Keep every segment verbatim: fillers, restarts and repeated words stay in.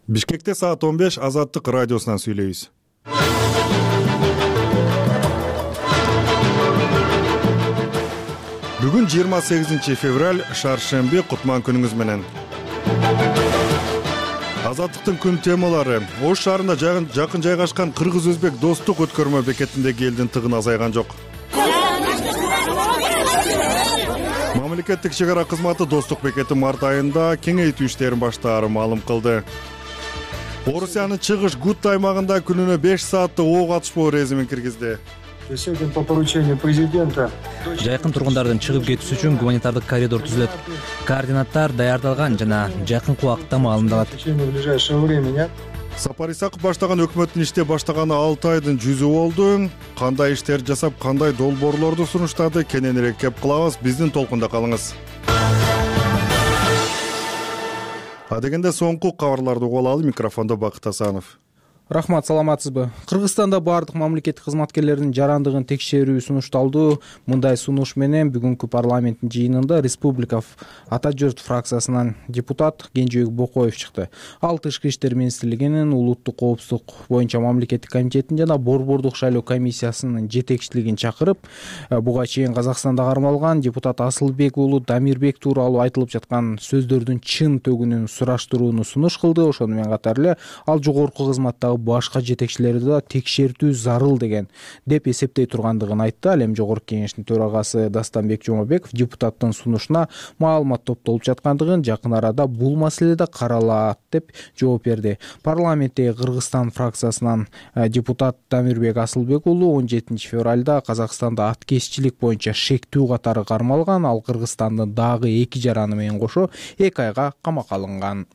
Бишкекте саат он беш Азаттык радиосунан сүйлөйбүз. Бүгүн жыйырма сегизинчи февраль, шаршемби, кутман күнүңүз менен. Азаттыктын күн темалары: Ош шаарында жакын жайгашкан кыргыз-өзбек достук өткөрмө бекетиндеги элдин тыгыны азайган жок. Мамлекеттик чек ара кызматы достук бекети март айында кеңейтүү иштерин баштаарын маалым кылды. Орусиянын чыгыш Гутта аймагында күнүнө беш сааттык ок атышпоо режимин киргизди. Сегодня по поручению президента жайкын тургундардын чыгып кетүүсү үчүн гуманитардык коридор түзүлөт. Координаттар даярдалган жана жакынкы убакытта маалымдалат. в течение ближайшего времени Сапар Исаков баштаган өкмөттүн иште баштаганы алты айдын жүзү болду. Кандай иштер жасап, кандай долбоорлорду сунуштады, кененирээк кеп кылабыз. Биздин толкунда калыңыз. Адегенде соңку кабарларды угуп алалы. Микрофондо Бакыт Асанов. Рахмат, саламатсызбы? Кыргызстанда баардык мамлекеттик кызматкерлердин жарандыгын текшерүү сунушталды. Мындай сунуш менен бүгүнкү парламенттин жыйынында Республика Ата журт фракциясынан депутат Кенжебек Бокоев чыкты. Ал Тышкы иштер министрлигинин улуттук коопсуздук боюнча мамлекеттик комитетин жана борбордук шайлоо комиссиясынын жетекчилигин чакырып, буга чейин Казакстанда кармалган депутат Асылбек уулу Дамирбек тууралуу айтылып жаткан сөздөрдүн чын төгүнүн сураштырууну сунуш кылды. Ошону менен катар эле ал жогорку кызматтагы башка жетекчилерди да текшертүү зарыл деген деп эсептей тургандыгын айтты. Ал эми жогорку кеңештин төрагасы Дастанбек Жомабеков депутаттын сунушуна маалымат топтолуп жаткандыгын, жакын арада бул маселе да каралат деп жооп берди. Парламенттеги Кыргызстан фракциясынан депутат Дамирбек Асылбек уулу он жетинчи февралда Казакстанда аткезчилик боюнча шектүү катары кармалган. Ал Кыргызстандын дагы эки жараны менен кошо эки айга камакка алынган.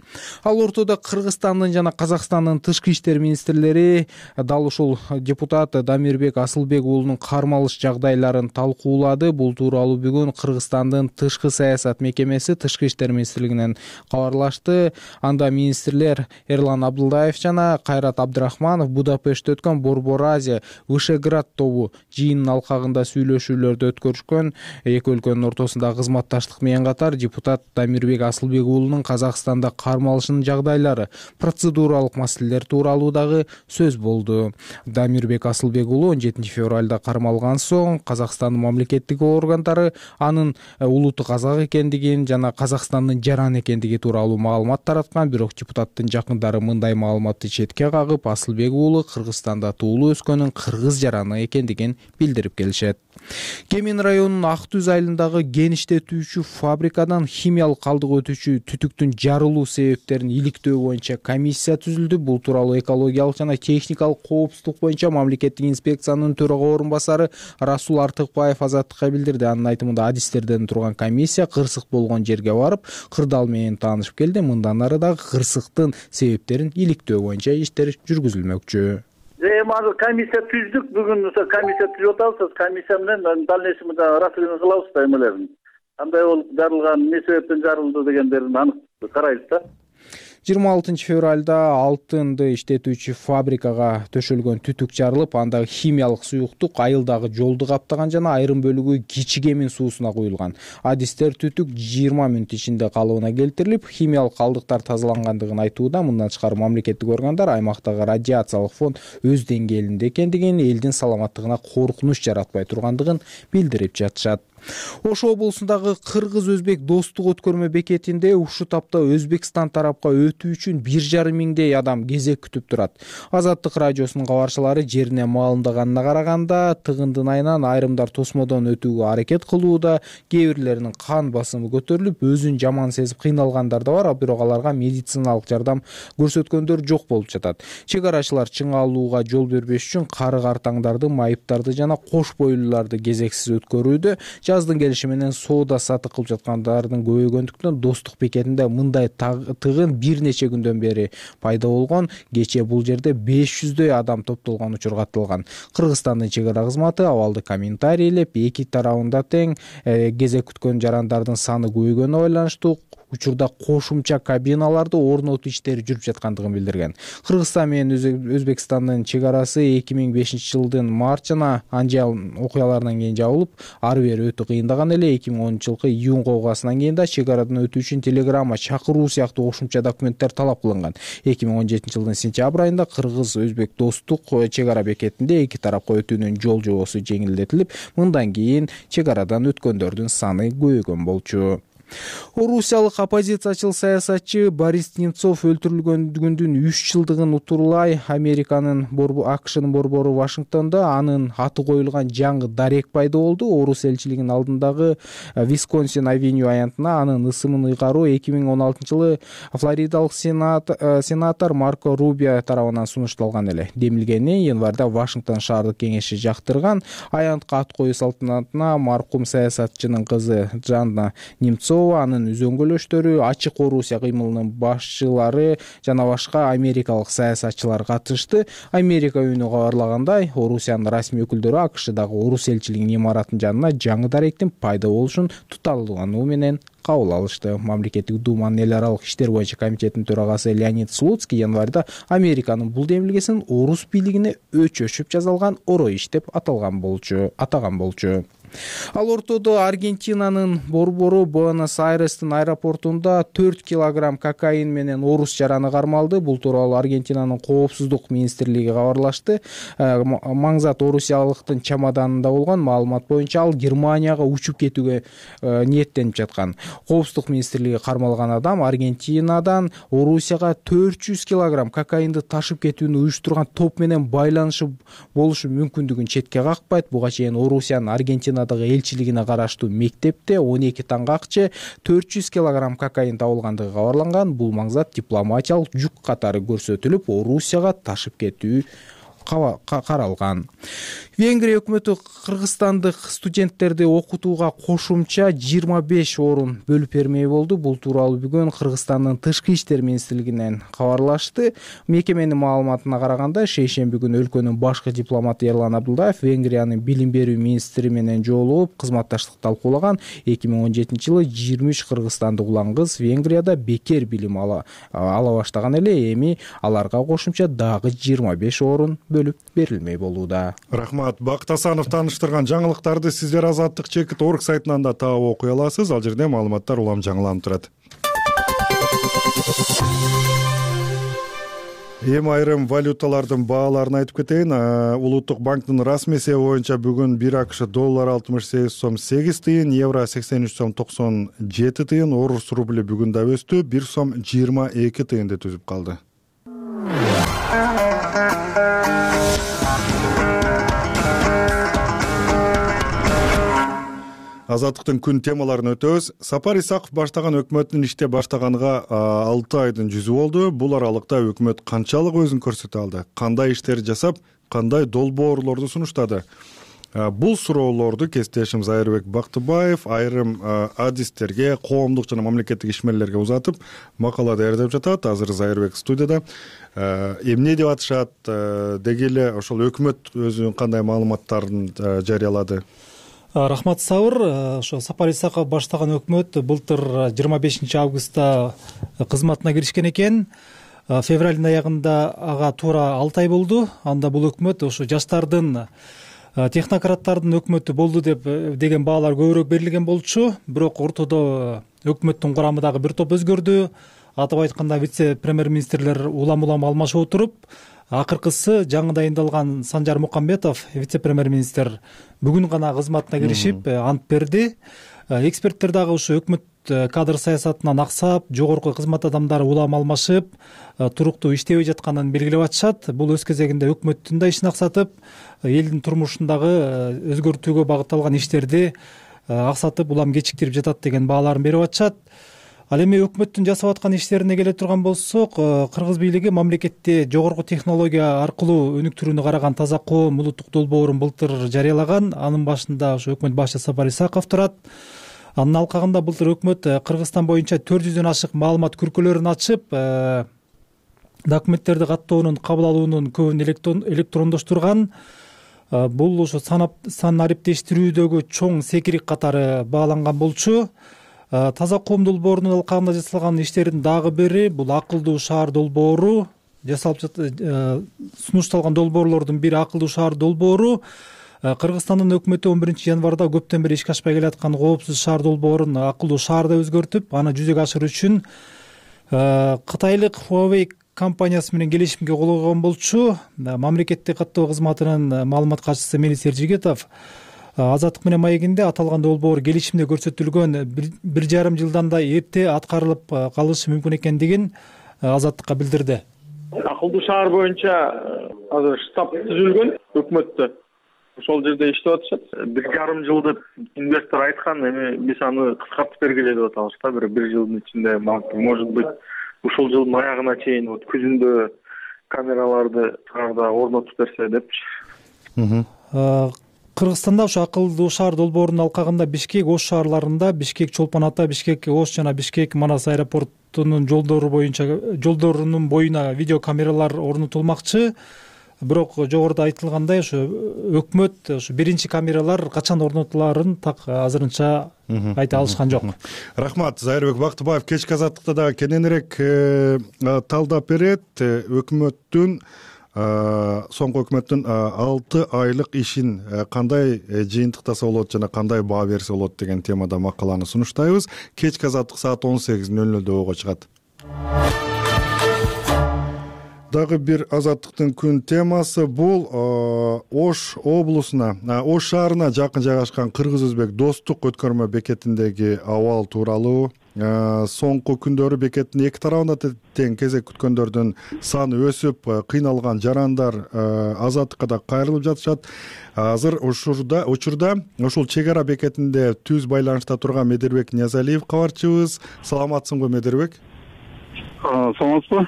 Ал ортодо Кыргызстандын жана Казакстандын тышкы иштер министрлери дал ушул депутат Дамирбек Асылбек уулунун кармалыш жагдайларын талкуулады. Бул тууралуу бүгүн Кыргызстандын тышкы саясат мекемеси Тышкы иштер министрлигинен кабарлашты. Анда министрлер Эрлан Абдылдаев жана Кайрат Абдрахманов Будапештте өткөн Борбор Азия Вышеград тобу жыйынын алкагында сүйлөшүүлөрдү өткөрүшкөн. Эки өлкөнүн ортосундагы кызматташтык менен катар депутат Дамирбек Асылбек уулунун Казакстанда кармалышынын жагдайлары, процедуралык маселелер тууралуу дагы сөз болду. Дамирбек Асылбек уулу он жетинчи февралда кармалган соң Казакстандын мамлекеттик органдары анын улуттук казак экендигин жана Казакстандын жараны экендиги тууралуу маалымат тараткан. Бирок депутаттын жакындары мындай маалыматты четке кагып, Асылбек уулу Кыргызстанда туулуп өскөнүн кыргыз жараны экендигин билдирип келишет. Кемин районунун Ак Түз айылындагы кен иштетүүчү фабрикадан химиялык калдык өтүүчү түтүктүн жарылуу себептерин иликтөө боюнча комиссия түзүлдү. Бул тууралуу экологиялык жана техникалык коопсуздук боюнча мамлекеттик инспекциянын төрага орун басары Расул Артыкбаев Азаттыкка билдирди. Анын айтымында адистерден турган комиссия кырсык болгон жерге барып, кырдаал менен таанышып келди. Мындан ары дагы кырсыктын себептерин иликтөө боюнча иштер жүргүзүлмөкчү. Эми азыр комиссия түздүк. Бүгүн комиссия түзүп атабыз. Комиссия менен дальнейший расследование кылабыз да эмелерин. Кандай болуп жарылган, эмне себептен жарылды дегендерин анык карайбыз да. жыйырма алтынчы февралда алтынды иштетүүчү фабрикага төшөлгөн түтүк жарылып, андагы химиялык суюктук айылдагы жолду каптаган жана айрым бөлүгү Кичи Кемин суусуна куюлган. Адистер түтүк жыйырма мүнөт ичинде калыбына келтирилип, химиялык калдыктар тазалангандыгын айтууда. Мындан тышкары мамлекеттик органдар аймактагы радиациялык фон өз деңгээлинде экендигин, элдин саламаттыгына коркунуч жаратпай тургандыгын билдирип жатышат. Ош облусундагы кыргыз-өзбек достук өткөрмө бекетинде ушул тапта Өзбекстан тарапка өтүү үчүн бир жарым миңдей адам кезек күтүп турат. Азаттык радиосунун кабарчылары жерине маалымдаганына караганда, тыгындын айынан айрымдар тосмодон өтүүгө аракет кылууда, кээ бирлеринин кан басымы көтөрүлүп, өзүн жаман сезип кыйналгандар да бар, бирок аларга медициналык жардам көрсөткөндөр жок болуп жатат. Чек арачылар чыңалууга жол бербеш үчүн карык артаңдарды, майыптарды жана кош бойлууларды кезексиз өткөрүүдө. Жаздын келиши менен соода сатык кылып жаткандардын көбөйгөндүктөн достук бекетинде мындай тыгын бир нече күндөн бери пайда болгон. Кечээ бул жерде беш жүздөй адам топтолгон учур катталган. Кыргызстандын чек ара кызматы абалды комментарийлеп, эки тарабында тең кезек күткөн жарандардын саны көбөйгөнүнө байланыштуу учурда кошумча кабиналарды орнотуу иштери жүрүп жаткандыгын билдирген. Кыргызстан менен Өзбекстандын чек арасы эки миң бешинчи жылдын март жана Анжал окуяларынан кийин жабылып, ары бери өтө кыйындаган эле. эки миң онунчу жылкы июнга окугасынан кийин да чек арадан өтүү үчүн телеграмма, чакыруу сыяктуу кошумча документтер талап кылынган. эки миң он жетинчи жылдын сентябрь айында кыргыз-өзбек достук чек ара бекетинде эки тарапка өтүүнүн жол жобосу жеңилдетилип, мындан кийин чек арадан өткөндөрдүн саны көбөйгөн болчу. Орусиялык оппозициячыл саясатчы Борис Немцов өлтүрүлгөндүгүнүн үч жылдыгын утурлай Американын АКШнын борбору Вашингтондо анын аты коюлган жаңы дарек пайда болду. Орус элчилигинин алдындагы Висконсин Авеню аянтына анын ысымын ыйгаруу эки миң он алтынчы жылы флоридалык сенатор Марко Рубио тарабынан сунушталган эле. Демилгени январда Вашингтон шаардык кеңеши жактырган. Аянтка ат коюу салтанатына маркум саясатчынын кызы Жанна Немцова, анын үзөңгөлөштөрү, Ачык Орусия кыймылынын башчылары жана башка америкалык саясатчылар катышты. Америка үнү кабарлагандай, Орусиянын расмий өкүлдөрү АКШдагы Орус элчилигинин имаратынын жанына жаңы даректин пайда болушун туталгануу менен кабыл алышты. Мамлекеттик думанын эл аралык иштер боюнча комитетинин төрагасы Леонид Слуцкий январда Американын бул демилгесин орус бийлигине өчөшүп жасалган оро иш деп аталган болчу, атаган болчу. Ал ортодо Аргентинанын борбору Буэнос-Айрестин аэропортунда төрт килограмм кокаин менен орус жараны кармалды. Бул тууралуу Аргентинанын коопсуздук министрлиги кабарлашты. Маңзат орусиялыктын чемоданында болгон. Маалымат боюнча ал Германияга учуп кетүүгө ниеттенип жаткан. Коопсуздук министрлиги кармалган адам Аргентинадан Орусияга төрт жүз килограмм кокаинди ташып кетүүнү уюштурган топ менен байланышы болушу мүмкүндүгүн четке какпайт. Буга чейин Орусиянын Аргентина элчилигине караштуу мектепте он эки таңгакчы төрт жүз килограмм кокаин табылгандыгы кабарланган. Бул маңзат дипломатиялык жүк катары көрсөтүлүп, Орусияга ташып кетүү каралган. Венгрия өкмөтү кыргызстандык студенттерди окутууга кошумча жыйырма беш орун бөлүп бермей болду. Бул тууралуу бүгүн Кыргызстандын тышкы иштер министрлигинен кабарлашты. Мекеменин маалыматына караганда, шейшемби күнү өлкөнүн башкы дипломаты Эрлан Абдулдаев Венгриянын билим берүү министри менен жолугуп кызматташтык талкуулаган. эки миң он жетинчи жылы жыйырма үч кыргызстандык улан кыз Венгрияда бекер билим ала, ала баштаган эле. Эми аларга кошумча дагы жыйырма беш орун бөлүп берилмей болууда. Рахмат. Бакыт Асанов тааныштырган жаңылыктарды сиздер Азаттык чекит орг сайтынан да таап окуй аласыз. Ал жерде маалыматтар улам жаңыланып турат. Эми айрым валюталардын бааларын айтып кетейин. Улуттук банктын расмий эсеби боюнча бүгүн бир АКШ доллар алтымыш сегиз сом сегиз тыйын, евро сексен үч сом токсон жети тыйын, орус рубли бүгүн да өстү, бир сом жыйырма эки тыйынды түзүп калды. Азаттыктын күн темаларын өтөбүз. Сапар Исаков баштаган өкмөттүн иште баштаганга алты айдын жүзү болду. Бул аралыкта өкмөт канчалык өзүн көрсөтө алды? Кандай иштерди жасап, кандай долбоорлорду сунуштады? Бул суроолорду кесиптешим Зайырбек Бактыбаев айрым адистерге, коомдук жана мамлекеттик ишмерлерге узатып, макала даярдап жатат. Азыр Зайырбек студияда. Эмне деп атышат? Деги эле ошол өкмөт өзүнүн кандай маалыматтарын жарыялады? Рахмат Сабыр. Ошо Сапар Исаков баштаган өкмөт былтыр жыйырма бешинчи августта кызматына киришкен экен. Февралдын аягында ага туура алты ай болду. Анда бул өкмөт ошо жаштардын, технократтардын өкмөтү болду деп деген баалар көбүрөөк берилген болчу. Бирок ортодо өкмөттүн курамы дагы бир топ өзгөрдү. Атап айтканда вице-премьер-министрлер улам-улам алмашып отуруп, акыркысы жаңы дайындалган Санжар Мукамбетов, вице-премьер-министр, бүгүн гана кызматына киришип ант берди. Эксперттер дагы ушу өкмөт кадр саясатынан аксап, жогорку кызмат адамдары улам алмашып, туруктуу иштебей жатканын белгилеп атышат. Бул өз кезегинде өкмөттүн да ишин аксатып, элдин турмушундагы өзгөртүүгө багытталган иштерди аксатып, улам кечиктирип жатат деген бааларын берип атышат. Ал эми өкмөттүн жасап аткан иштерине келе турган болсок, кыргыз бийлиги мамлекетте жогорку технология аркылуу өнүктүрүүнү караган таза коом улуттук долбоорун былтыр жарыялаган. Анын башында ошо өкмөт башчысы Сапар Исаков турат. Анын алкагында былтыр өкмөт Кыргызстан боюнча төрт жүздөн ашык маалымат күркөлөрүн ачып, документтерди каттоонун, кабыл алуунун көбүн электрондоштурган. Бул ошо сан ариптештирүүдөгү чоң секирик катары бааланган болчу. таза коом долбоорунун алкагында жасалган иштердин дагы бири бул акылдуу шаар долбоору. Жасалып сунушталган долбоорлордун бири акылдуу шаар долбоору. Кыргызстандын өкмөтү он биринчи январда көптөн бери ишке ашпай келаткан коопсуз шаар долбоорун акылдуу шаарда өзгөртүп, аны жүзөгө ашыруу үчүн кытайлык Huawei компаниясы менен келишимге кол койгон болчу. Мамлекеттик каттоо кызматынын маалымат катчысы Мелис Эржигетов Азаттык менен маегинде аталган долбоор келишимде көрсөтүлгөн бир жарым жылдан да эрте аткарылып калышы мүмкүн экендигин Азаттыкка билдирди. Акылдуу шаар боюнча азыр штаб түзүлгөн өкмөттө. Ошол жерде иштеп атышат. Бир жарым жыл деп инвестор айткан, эми биз аны кыскартып бергиле деп атабыз да. Бир бир жылдын ичинде, может быть, ушул жылдын аягына чейин вот күзүндө камераларды шаарда орнотуп берсе депчи. Кыргызстанда ошо акылдуу шаар долбоорунун алкагында Бишкек, Ош шаарларында, Бишкек, Чолпон Ата, Бишкек, Ош жана Бишкек Манас аэропортунун жолдору боюнча жолдорунун боюна видеокамералар орнотулмакчы. Бирок жогоруда айтылгандай, ошо өкмөт ошо биринчи камералар качан орнотулаарын так азырынча айта алышкан жок. Рахмат. Зайырбек Бактыбаев кечки азаттыкта да кененирээк талдап берет. Өкмөттүн соңку өкмөттүн алты айлык ишин кандай жыйынтыктаса болот жана кандай баа берсе болот деген темада макаланы сунуштайбыз. Кечки азаттык саат он сегиз нөл нөлдө ого чыгат. Дагы бир азаттыктын күн темасы бул Ош облусуна, Ош шаарына жакын жайгашкан кыргыз-өзбек достук өткөрмө бекетиндеги абал тууралуу. Соңку күндөрү бекеттин эки тарабында тең кезек күткөндөрдүн саны өсүп, кыйналган жарандар азаттыкка да кайрылып жатышат. Азыр учурда учурда ушул чек ара бекетинде түз байланышта турган Медербек Ниязалиев кабарчыбыз. Саламатсыңбы, Медербек? Саламатсызбы?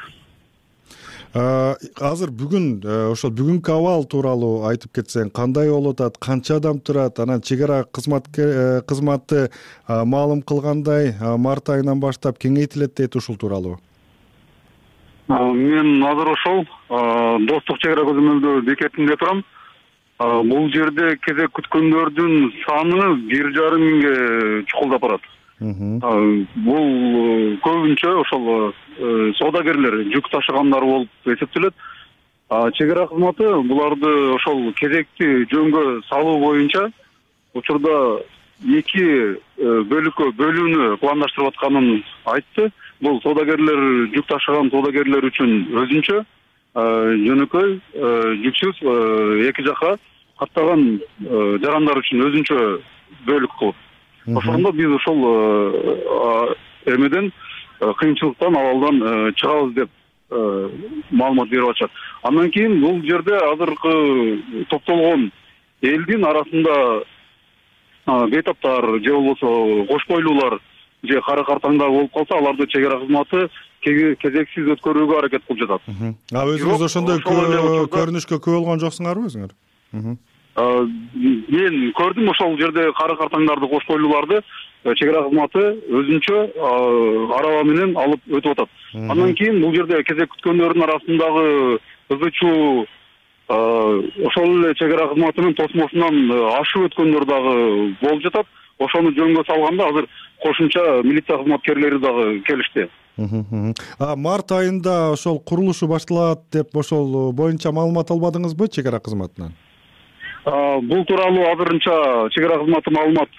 Азыр бүгүн ошол бүгүнкү абал тууралуу айтып кетсең, кандай болуп атат, канча адам турат, анан чек ара кызматы маалым кылгандай март айынан баштап кеңейтилет дейт, ушул тууралуу. Мен азыр ошол достук чек ара көзөмөлдөө бекетинде турам. Бул жерде кезек күткөндөрдүн саны бир жарым миңге чукулдап барат. Бул көбүнчө ошол соодагерлер, жүк ташыгандар болуп эсептелет. Чек ара кызматы буларды ошол кезекти жөнгө салуу боюнча учурда эки бөлүккө бөлүүнү пландаштырып атканын айтты. Бул соодагерлер, жүк ташыган соодагерлер үчүн өзүнчө, жөнөкөй, жүксүз эки жака каттаган жарандар үчүн өзүнчө бөлүк кылып. Ошондо биз ошол эмеден кыйынчылыктан, абалдан чыгабыз деп маалымат берип атышат. Андан кийин бул жерде азыркы топтолгон элдин арасында бейтаптар же болбосо кош бойлуулар же кары картаңдар болуп калса, аларды чек ара кызматы кезексиз өткөрүүгө аракет кылып жатат. А өзүңүз ошондой көрүнүшкө күбө болгон жоксуңарбы өзүңөр? Мен көрдүм ошол жерде кары картаңдарды, кош бойлууларды чек ара кызматы өзүнчө араба менен алып өтүп атат. Андан кийин бул жерде кезек күткөндөрдүн арасындагы ызычуу ошол эле чек ара кызматынын тосмосунан ашып өткөндөр дагы болуп жатат. Ошону жөнгө салганда азыр кошумча милиция кызматкерлери дагы келишти. Март айында ошол курулушу башталат деп ошол боюнча маалымат албадыңызбы чек ара кызматынан? Бул тууралуу азырынча чек ара кызматы маалымат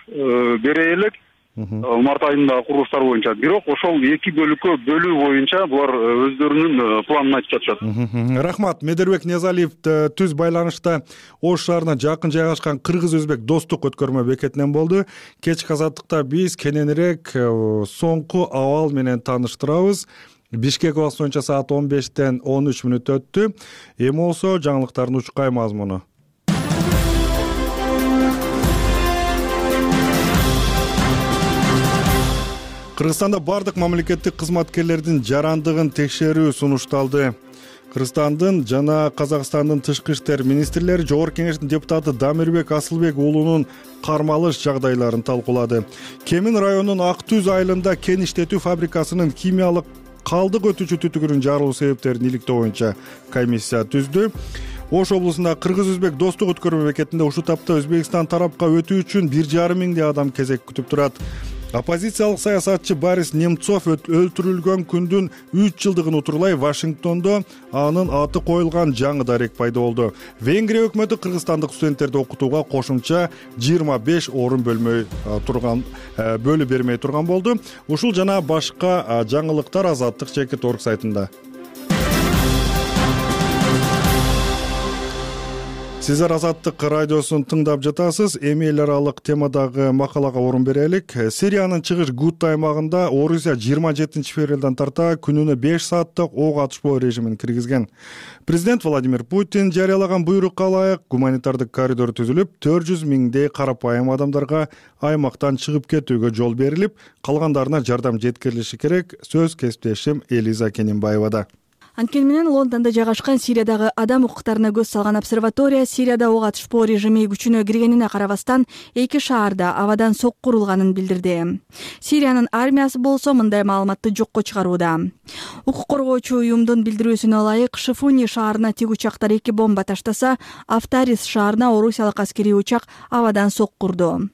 бере элек март айында курулуштар боюнча. Бирок ошол эки бөлүккө бөлүү боюнча булар өздөрүнүн планын айтып жатышат. Рахмат. Медербек Ниязалиев түз байланышта Ош шаарына жакын жайгашкан кыргыз-өзбек достук өткөрмө бекетинен болду. Кечки азаттыкта биз кененирээк соңку абал менен тааныштырабыз. Бишкек убакыты боюнча саат он бештен он үч мүнөт өттү. Эми болсо жаңылыктардын учкай мазмуну. Кыргызстанда бардык мамлекеттик кызматкерлердин жарандыгын текшерүү сунушталды. Кыргызстандын жана Казакстандын тышкы иштер министрлери Жогорку Кеңештин депутаты Дамирбек Асылбек уулунун кармалыш жагдайларын талкуулады. Кемин районунун Ак Түз айылында кен иштетүү фабрикасынын химиялык калдык өтүүчү түтүгүнүн жарылуу себептерин иликтөө боюнча комиссия түздү. Ош облусунда кыргыз-өзбек достук өткөрмө бекетинде ушул тапта Өзбекстан тарапка өтүү үчүн бир жарым миңдей адам кезек күтүп турат. Оппозициялык саясатчы Борис Немцов өлтүрүлгөн күндүн үч жылдыгын утурлай Вашингтондо анын аты коюлган жаңы дарек пайда болду. Венгрия өкмөтү кыргызстандык студенттерди окутууга кошумча жыйырма беш орун бөлмөй турган бөлүп бермей турган болду. Ушул жана башка жаңылыктар Азаттык чекит орг сайтында. Сиздер Азаттык радиосун тыңдап жатасыз. Эми эл аралык темадагы макалага орун берелик. Сириянын чыгыш Гута аймагында Орусия жыйырма жетинчи февралдан тарта күнүнө беш сааттык ок атышпоо режимин киргизген. Президент Владимир Путин жарыялаган буйрукка ылайык гуманитардык коридор түзүлүп, төрт жүз миңдей карапайым адамдарга аймактан чыгып кетүүгө жол берилип, калгандарына жардам жеткирилиши керек. Сөз кесиптешим Элиза Кененбаевада. Анткени менен Лондондо жайгашкан Сириядагы адам укуктарына көз салган обсерватория Сирияда ок атышпоо режими күчүнө киргенине карабастан эки шаарда абадан сокку урулганын билдирди. Сириянын армиясы болсо мындай маалыматты жокко чыгарууда. Укук коргоочу уюмдун билдирүүсүнө ылайык, Шифуни шаарына тик учактар эки бомба таштаса, Автарис шаарына орусиялык аскерий учак абадан сокку урду.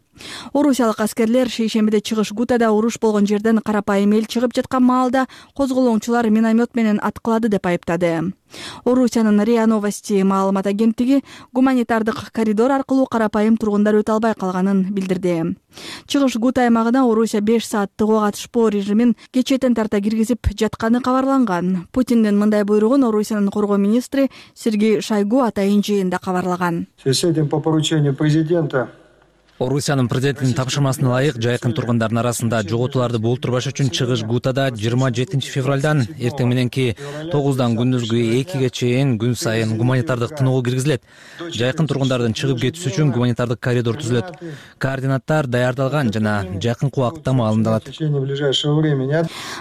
Орусиялык аскерлер шейшембиде чыгыш Гутада уруш болгон жерден карапайым эл чыгып жаткан маалда козголоңчулар миномет менен аткылады деп айыптады. Орусиянын РИА Новости маалымат агенттиги гуманитардык коридор аркылуу карапайым тургундар өтө албай калганын билдирди. Чыгыш Гута аймагына Орусия беш сааттык ок атышпоо режимин кечээден тарта киргизип жатканы кабарланган. Путиндин мындай буйругун Орусиянын коргоо министри Сергей Шойгу атайын жыйында кабарлаган. С этим по поручению президента Орусиянын президентинин тапшырмасына ылайык жайкын тургундардын арасында жоготууларды болтурбаш үчүн чыгыш Гутада жыйырма жетинчи февралдан эртең мененки тогуздан күндүзгү экиге чейин күн сайын гуманитардык тыныгуу киргизилет. Жайкын тургундардын чыгып кетүүсү үчүн гуманитардык коридор түзүлөт. Координаттар даярдалган жана жакынкы убакытта маалымдалат.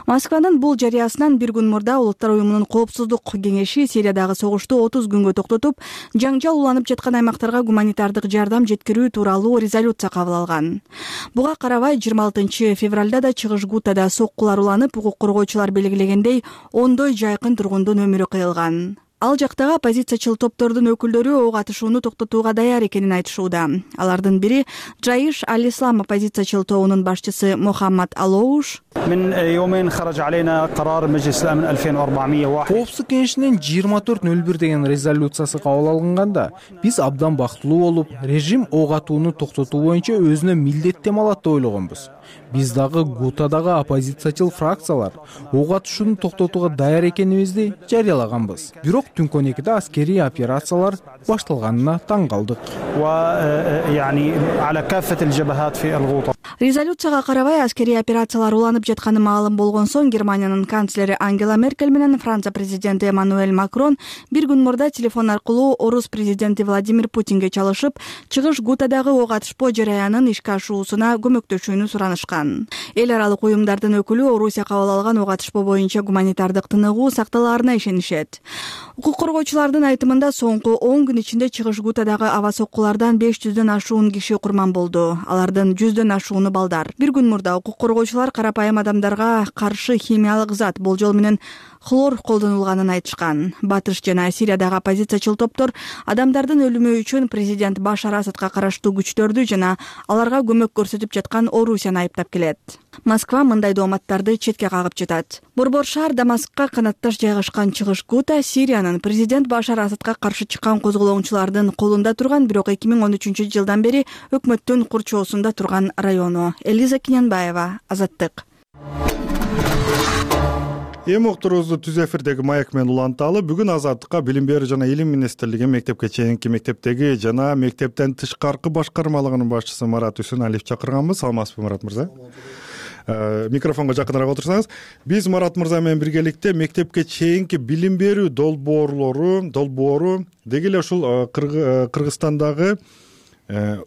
Москванын бул жарыясынан бир күн мурда Улуттар уюмунун коопсуздук кеңеши Сириядагы согушту отуз күнгө токтотуп, жаңжал уланып жаткан аймактарга гуманитардык жардам жеткирүү тууралуу резолюция кабыл алган. Буга карабай жыйырма алтынчы февралда да чыгыш Гутада соккулар уланып, укук коргоочулар белгилегендей ондой жайкын тургундун өмүрү кыйылган. Ал жактагы оппозициячыл топтордун өкүлдөрү ок атышууну токтотууга даяр экенин айтышууда. Алардын бири Джаиш Аль-Ислам оппозициячыл тобунун башчысы Мухаммад Алоуш. Коопсуздук кеңешинин жыйырма төрт нөл бир деген резолюциясы кабыл алынганда, биз абдан бактылуу болуп, режим ок атууну токтотуу боюнча өзүнө милдеттем алат деп ойлогонбуз. Биз дагы Гутадагы оппозициячыл фракциялар ок атышууну токтотууга даяр экенибизди жарыялаганбыз. Бирок түнкүн экиде аскерий операциялар башталганына таң калдык. Резолюцияга карабай аскерий операциялар уланып жатканы маалым болгон соң Германиянын канцлери Ангела Меркель менен Франция президенти Эммануэль Макрон бир күн мурда телефон аркылуу орус президенти Владимир Путинге чалышып, чыгыш Гутадагы ок атышпоо жараянын ишке ашуусуна көмөктөшүүнү суранышкан. Эл аралык уюмдардын өкүлү Орусия кабыл алган ок атышпоо боюнча гуманитардык тыныгуу сакталаарына ишенишет. Укук коргоочулардын айтымында соңку он күн ичинде чыгыш Гутадагы аба соккулардан беш жүздөн ашуун киши курман болду. Алардын жүздөн ашууну балдар. Бир күн мурда укук коргоочулар карапайым адамдарга каршы химиялык зат болжол менен хлор колдонулганын айтышкан. Батыш жана Сириядагы оппозициячыл топтор адамдардын өлүмү үчүн президент Башар Асадка караштуу күчтөрдү жана аларга көмөк көрсөтүп жаткан Орусияны айыптап келет. Москва мындай дооматтарды четке кагып жатат. Борбор шаар Дамаскка канатташ жайгашкан чыгыш Гута Сириянын президент Башар Асадка каршы чыккан козголоңчулардын колунда турган, бирок эки миң он үчүнчү жылдан бери өкмөттүн курчоосунда турган району. Элиза Кененбаева, Азаттык. Эми уктуруубузду түз эфирдеги маек менен уланталы. Бүгүн Азаттыкка Билим берүү жана Илим министрлиги мектепке чейинки мектептеги жана мектептен тышкаркы башкармалыгынын башчысы Марат Үсүналиев чакырганбыз. Саламатсызбы, Марат мырза? Микрофонго жакыныраак отурсаңыз. Биз Марат мырза менен биргеликте мектепке чейинки билим берүү долбоорлору, долбоору деги эле ушул Кыргызстандагы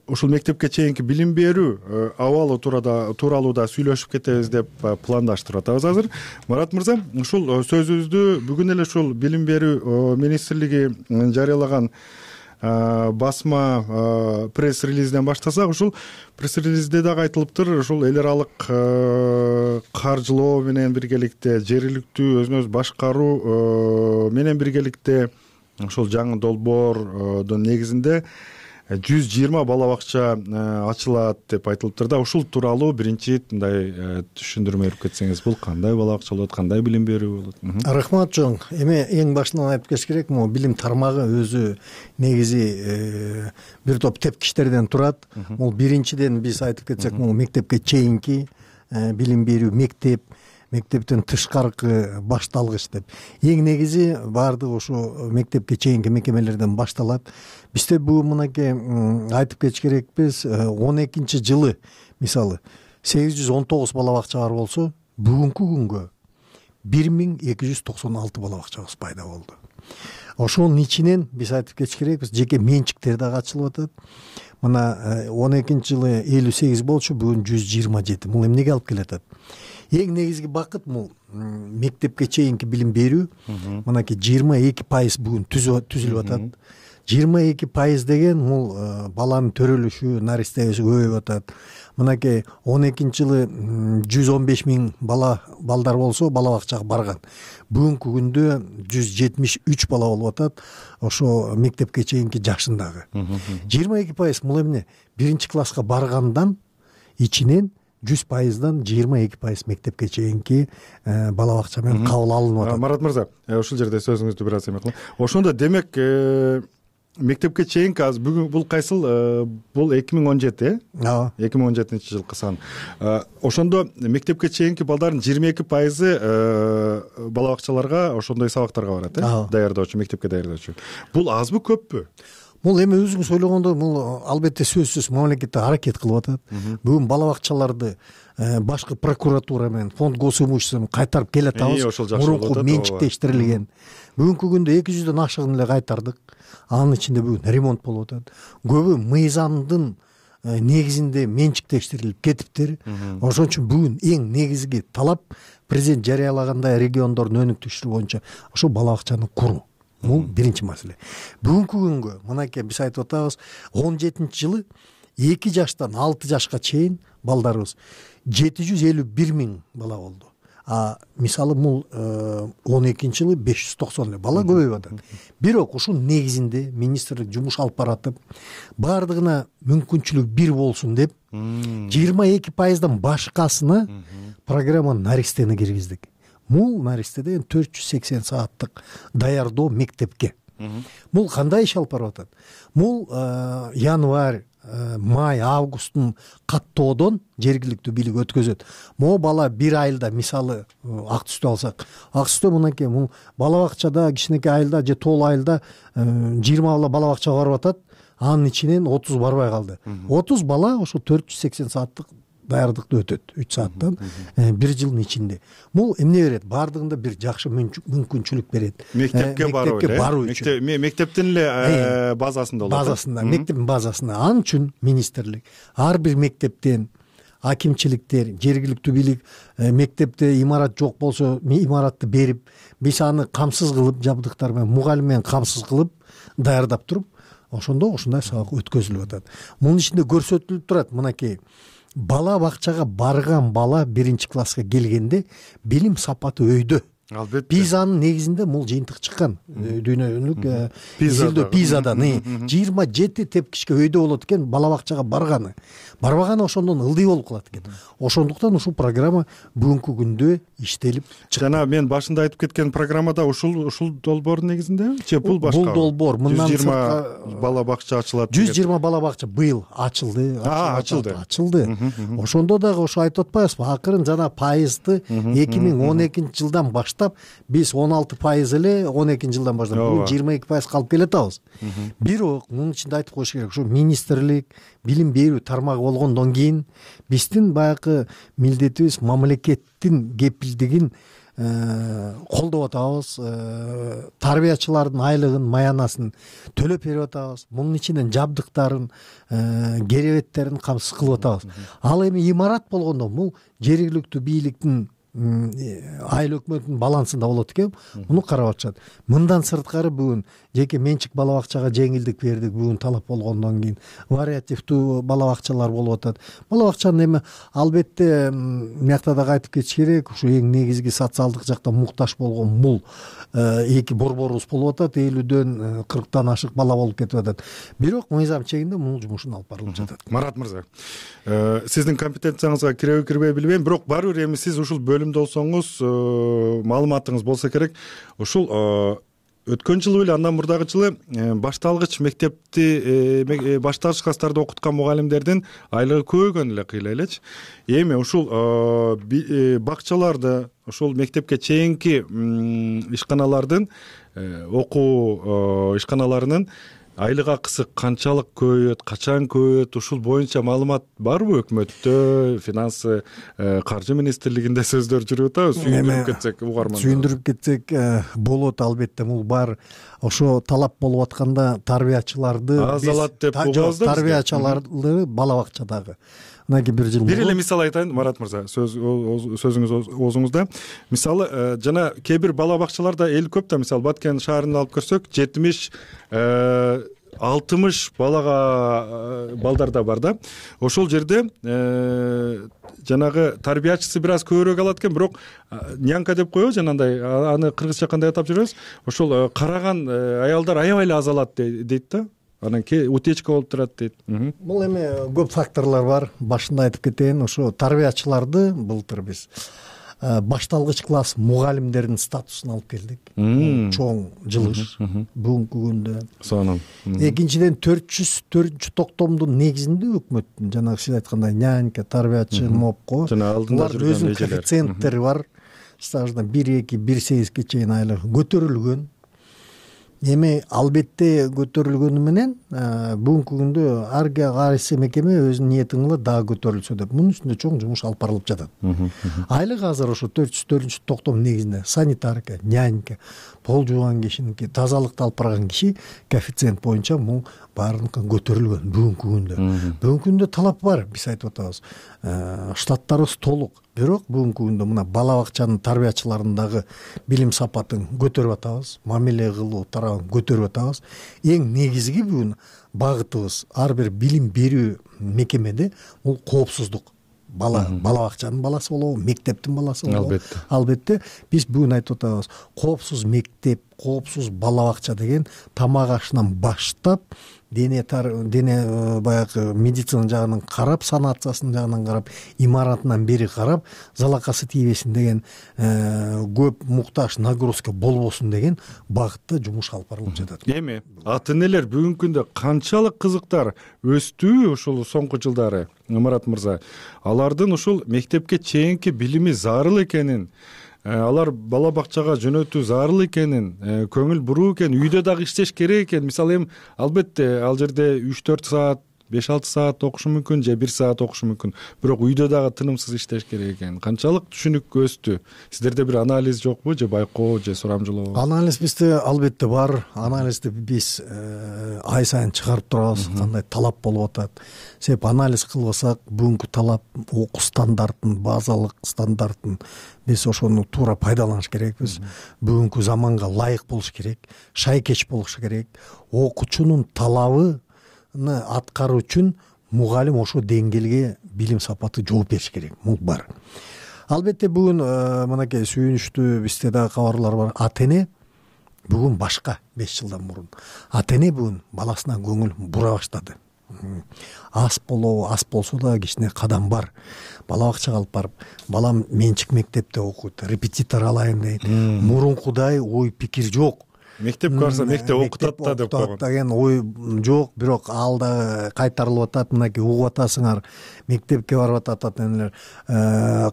ушул мектепке чейинки билим берүү абалы тууралуу да сүйлөшүп кетебиз деп пландаштырып атабыз азыр. Марат мырза, ушул сөзүбүздү бүгүн эле ушул Билим берүү министрлиги жарыялаган басма пресс-релизден баштасак, ушул пресс-релизде дагы айтылыптыр, ушул эл аралык каржылоо менен биргеликте жергиликтүү өзүн өзү башкаруу менен биргеликте ушул жаңы долбоордун негизинде жүз жыйырма бала бакча ачылат деп айтылыптыр да, ушул тууралуу биринчи мындай түшүндүрмө берип кетсеңиз, бул кандай бала бакча болот, кандай билим берүү болот? Рахмат чоң. Эми эң башынан айтып кетиш керек, могу билим тармагы өзү негизи бир топ тепкичтерден турат. Бул биринчиден биз айтып кетсек, могу мектепке чейинки билим берүү, мектеп, мектептен тышкаркы башталгыч деп. Эң негизи баардыгы ушу мектепке чейинки мекемелерден башталат. Бизде бул мынакей айтып кетиш керекпиз, он экинчи жылы мисалы сегиз жүз он тогуз бала бакча бар болсо, бүгүнкү күнгө бир миң эки жүз токсон алты бала бакчабыз пайда болду. Ошонун ичинен биз айтып кетиш керекпиз, жеке менчиктер дагы ачылып атат. Мына он экинчи жылы элүү сегиз болчу, бүгүн жүз жыйырма жети. Бул эмнеге алып келатат? Эң негизги бакыт бул мектепке чейинки билим берүү. Мынакей жыйырма эки пайыз бүгүн түзүлүп атат. жыйырма эки пайыз деген бул баланын төрөлүшү, наристеси көбөйүп атат. Мынакей он экинчи жылы жүз он беш миң бала балдар болсо, бала бакчага барган. Бүгүнкү күндө жүз жетимиш үч бала болуп атат, ошо мектепке чейинки жашындагы. жыйырма эки пайыз бул эмне? Биринчи класска баргандан ичинен жүз пайыздан жыйырма эки пайыз мектепке чейинки бала бакча менен кабыл алынып атат. Марат мырза, ушул жерде сөзүңүздү бир аз эме кылам. Ошондо демек мектепке чейинки азыр бүгүн бул кайсыл, бул эки миң он жети, э? Ооба. эки миң он жетинчи жылкы сан. Ошондо мектепке чейинки балдардын жыйырма эки пайызы бала бакчаларга, ошондой сабактарга барат, э? Даярдоочу, мектепке даярдоочу. Бул азбы, көппү? Бул эми өзүңүз ойлогондой, бул албетте сөзсүз мамлекет аракет кылып атат. Бүгүн бала бакчаларды башкы прокуратура менен фонд госимущество менен кайтарып келатабыз. Мурунку менчиктештирилген. Бүгүнкү күндө эки жүздөн ашыгын эле кайтардык. Анын ичинде бүгүн ремонт болуп атат. Көбү мыйзамдын негизинде менчиктештирилип кетиптир. Ошон үчүн бүгүн эң негизги талап президент жарыялагандай региондордун өнүктүрүшү боюнча ошо бала бакчаны куруу. Бул биринчи маселе. Бүгүнкү күнгө мынакей биз айтып атабыз, он жетинчи жылы эки жаштан алты жашка чейин балдарыбыз жети жүз элүү бир миң бала болду. А мисалы бул он экинчи жылы беш жүз токсон эле бала көбөйүп атат. Бирок ушунун негизинде министрлик жумуш алып баратып, баардыгына мүмкүнчүлүк бир болсун деп жыйырма эки пайыздан башкасына программа наристени киргиздик. Бул наристе деген төрт жүз сексен сааттык даярдоо мектепке. Бул кандай иш алып барып атат? Бул январь, май, августтун каттоодон жергиликтүү бийлик өткөзөт. Могу бала бир айылда, мисалы ак түстү алсак, ак түстө мынакей бул бала бакчада, кичинекей айылда же тоолуу айылда жыйырма бала бала бакчага барып атат, анын ичинен отуз барбай калды. отуз бала ошо төрт жүз сексен сааттык даярдыкты өтөт, үч сааттан бир жылдын ичинде. Бул эмне берет? Баардыгында бир жакшы мүмкүнчүлүк берет. Мектепке баруу үчүн. Мектептин эле базасында болот. Базасында, мектептин базасында. Анын үчүн министрлик ар бир мектептен, акимчиликтер, жергиликтүү бийлик мектепте имарат жок болсо, имаратты берип, биз аны камсыз кылып, жабдыктар менен, мугалим менен камсыз кылып даярдап туруп, ошондо ошондой сабак өткөзүлүп атат. Мунун ичинде көрсөтүлүп турат, мынакей бала бакчага барган бала биринчи класска келгенде билим сапаты өйдө. Албетте. Пизанын негизинде бул жыйынтык чыккан. Дүйнөлүк изилдөө Пизадан жыйырма жети тепкичке өйдө болот экен бала бакчага барганы. Барбаганы ошондон ылдый болуп калат экен. Ошондуктан ушул программа бүгүнкү күндө иштелип чыкты. Жана мен башында айтып кеткен программада ушул ушул долбоордун негизинде же бул башка? Бул долбоор мындан жүз жыйырма бала бакча ачылат. жүз жыйырма бала бакча быйыл ачылды. А, ачылды. Ачылды. Ошондо дагы ошо айтып атпайбызбы? Акырын жана пайызды эки миң он экинчи жылдан баштап биз он алты пайыз эле он экинчи жылдан баштап бүгүн жыйырма эки пайызга алып келатабыз. Бирок мунун ичинде айтып коюш керек, ушу министрлик, билим берүү тармагы болгондон кийин биздин баягы милдетибиз мамлекеттин кепилдигин колдоп атабыз, тарбиячылардын айлыгын, маянасын төлөп берип атабыз. Мунун ичинен жабдыктарын, керебеттерин камсыз кылып атабыз. Ал эми имарат болгондо бул жергиликтүү бийликтин айыл өкмөтүнүн балансында болот экен, муну карап атышат. Мындан сырткары бүгүн жеке менчик бала бакчага жеңилдик бердик, бүгүн талап болгондон кийин вариативдүү бала бакчалар болуп атат. Бала бакчанын эми албетте мыякта да кайтып кетиш керек, ушу эң негизги социалдык жакта муктаж болгон мул эки борборубуз болуп атат, элүүдөн кырктан ашык бала болуп кетип атат. Бирок мыйзам чегинде мунун жумушун алып барылып жатат. Марат мырза, сиздин компетенцияңызга киреби кирбей билбейм, бирок барыбыр эми сиз ушул бөлүмдө болсоңуз, маалыматыңыз болсо керек. Ушул өткөн жылы эле андан мурдагы жылы башталгыч мектепти башталгыч класстарды окуткан мугалимдердин айлыгы көбөйгөн эле кыйла элечи. Эми ушул бакчаларды, ушул мектепке чейинки ишканалардын окуу ишканаларынын айлык акысы канчалык көбөйөт, качан көбөйөт, ушул боюнча маалымат барбы өкмөттө, финансы, каржы министрлигинде сөздөр жүрүп атабы? Сүйүндүрүп кетсек угарман. Сүйүндүрүп кетсек болот, албетте бул бар. Ошо талап болуп атканда тарбиячыларды аз алат деп угабыз да. Тарбиячыларды бала бакчадагы мынакей бир жыл бир эле мисал айтайын, Марат мырза, сөз сөзүңүз оозуңузда. Мисалы, жана кээ бир бала бакчаларда эл көп да, мисалы Баткен шаарын алып көрсөк, жетимиш алтымыш балага балдар да бар да. Ошол жерде жанагы тарбиячысы бир аз көбүрөөк алат экен, бирок нянка деп коебуз, жанагындай, аны кыргызча кандай атап жүрөбүз? Ошол караган аялдар аябай эле аз алат дейт да. Анан утечка болуп турат дейт. Бул эми көп факторлор бар. Башында айтып кетейин, ошо тарбиячыларды былтыр биз башталгыч класс мугалимдердин статусун алып келдик. Чоң жылыш бүгүнкү күндө. Сонун. Экинчиден төрт жүз төртүнчү токтомдун негизинде өкмөттүн жанагы сиз айткандай нянька, тарбиячы, мопко жана алдында жүргөн өзүнүн коэффициенттери бар. Стаждан бир эки бир сегизге чейин айлыгы көтөрүлгөн. Эми албетте көтөрүлгөнү менен бүгүнкү күндө ар кайсы мекеме өзүнүн ниетин кылат, дагы көтөрүлсө деп. Мунун үстүндө чоң жумуш алып барылып жатат. Айлык азыр ошо төрт жүз төртүнчү токтом негизинде санитарка, нянька, пол жууган кишиники, тазалыкты алып барган киши коэффициент боюнча бул баарыныкы көтөрүлгөн бүгүнкү күндө. Бүгүнкү күндө талап бар, биз айтып атабыз. Штаттарыбыз толук. Бирок бүгүнкү күндө мына бала бакчанын тарбиячыларындагы билим сапатын көтөрүп атабыз, мамиле кылуу тарабын көтөрүп атабыз. Эң негизги бүгүн багытыбыз ар бир билим берүү мекемеде бул коопсуздук. Бала бала бакчанын баласы болобу, мектептин баласы болобу? Албетте. Албетте биз бүгүн айтып атабыз. Коопсуз мектеп, коопсуз бала бакча деген тамак ашынан баштап дене дене баягы медицина жагынан карап, санациясынын жагынан карап, имаратынан бери карап, залакасы тийбесин деген көп муктаж нагрузка болбосун деген багытта жумуш алып барылып жатат. Эми ата энелер бүгүнкү күндө канчалык кызыктар өстү ушул соңку жылдары, Марат мырза? Алардын ушул мектепке чейинки билими зарыл экенин, алар бала бакчага жөнөтүү зарыл экенин, көңүл буруу экен, үйдө дагы иштеш керек экен. Мисалы эми албетте ал жерде үч төрт саат, беш алты саат окушу мүмкүн, же бир саат окушу мүмкүн. Бирок үйдө дагы тынымсыз иштеш керек экен. Канчалык түшүнүк өстү? Сиздерде бир анализ жокпу, же байкоо, же сурамжылоо? Анализ бизде албетте бар. Анализди биз ай сайын чыгарып турабыз, кандай талап болуп атат. Себеп анализ кылбасак, бүгүнкү талап окуу стандартын, базалык стандартын биз ошону туура пайдаланыш керекпиз. Бүгүнкү заманга ылайык болуш керек, шайкеч болуш керек. Окуучунун талабы аткаруу үчүн мугалим ошо деңгээлге билим сапаты жооп бериш керек. Бул бар. Албетте бүгүн мынакей сүйүнүчтүү бизде дагы кабарлар бар. Ата эне бүгүн башка беш жылдан мурун. Ата эне бүгүн баласына көңүл бура баштады. Аз болобу, аз болсо да кичине кадам бар. Бала бакчага алып барып, балам менчик мектепте окуйт, репетитор алайын дейт. Мурункудай ой пикир жок. Мектепке барса мектеп окутат да деп койгон деген ой жок, бирок ал да кайтарылып атат. Мынакей угуп атасыңар, мектепке барып атат ата энелер,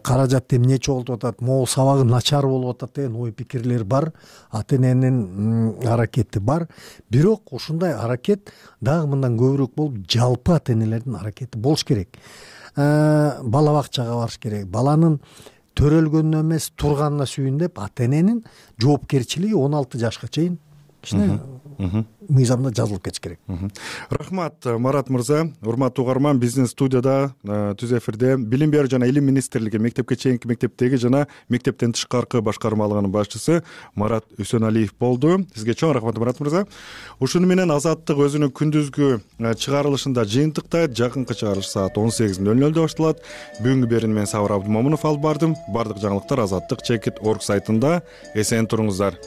каражат эмне чогултуп атат, могу сабагы начар болуп атат деген ой пикирлер бар. Ата эненин аракети бар. Бирок ушундай аракет дагы мындан көбүрөөк болуп, жалпы ата энелердин аракети болуш керек. Бала бакчага барыш керек. Баланын төрөлгөнүнө эмес, турганына сүйүн деп ата эненин жоопкерчилиги он алты жашка чейин кичине мыйзамда жазылып кетиш керек. Рахмат Марат мырза. Урматтуу угарман, биздин студияда түз эфирде Билим берүү жана Илим министрлиги мектепке чейинки мектептеги жана мектептен тышкаркы башкармалыгынын башчысы Марат Үсөналиев болду. Сизге чоң рахмат Марат мырза. Ушуну менен Азаттык өзүнүн күндүзгү чыгарылышында жыйынтыктайт. Жакынкы чыгарылыш саат он сегиз нөл нөлдө башталат. Бүгүнкү берүүнү мен Сабыр Абдымомунов алып бардым. Бардык жаңылыктар азаттык чекит орг сайтында. Эсен туруңуздар.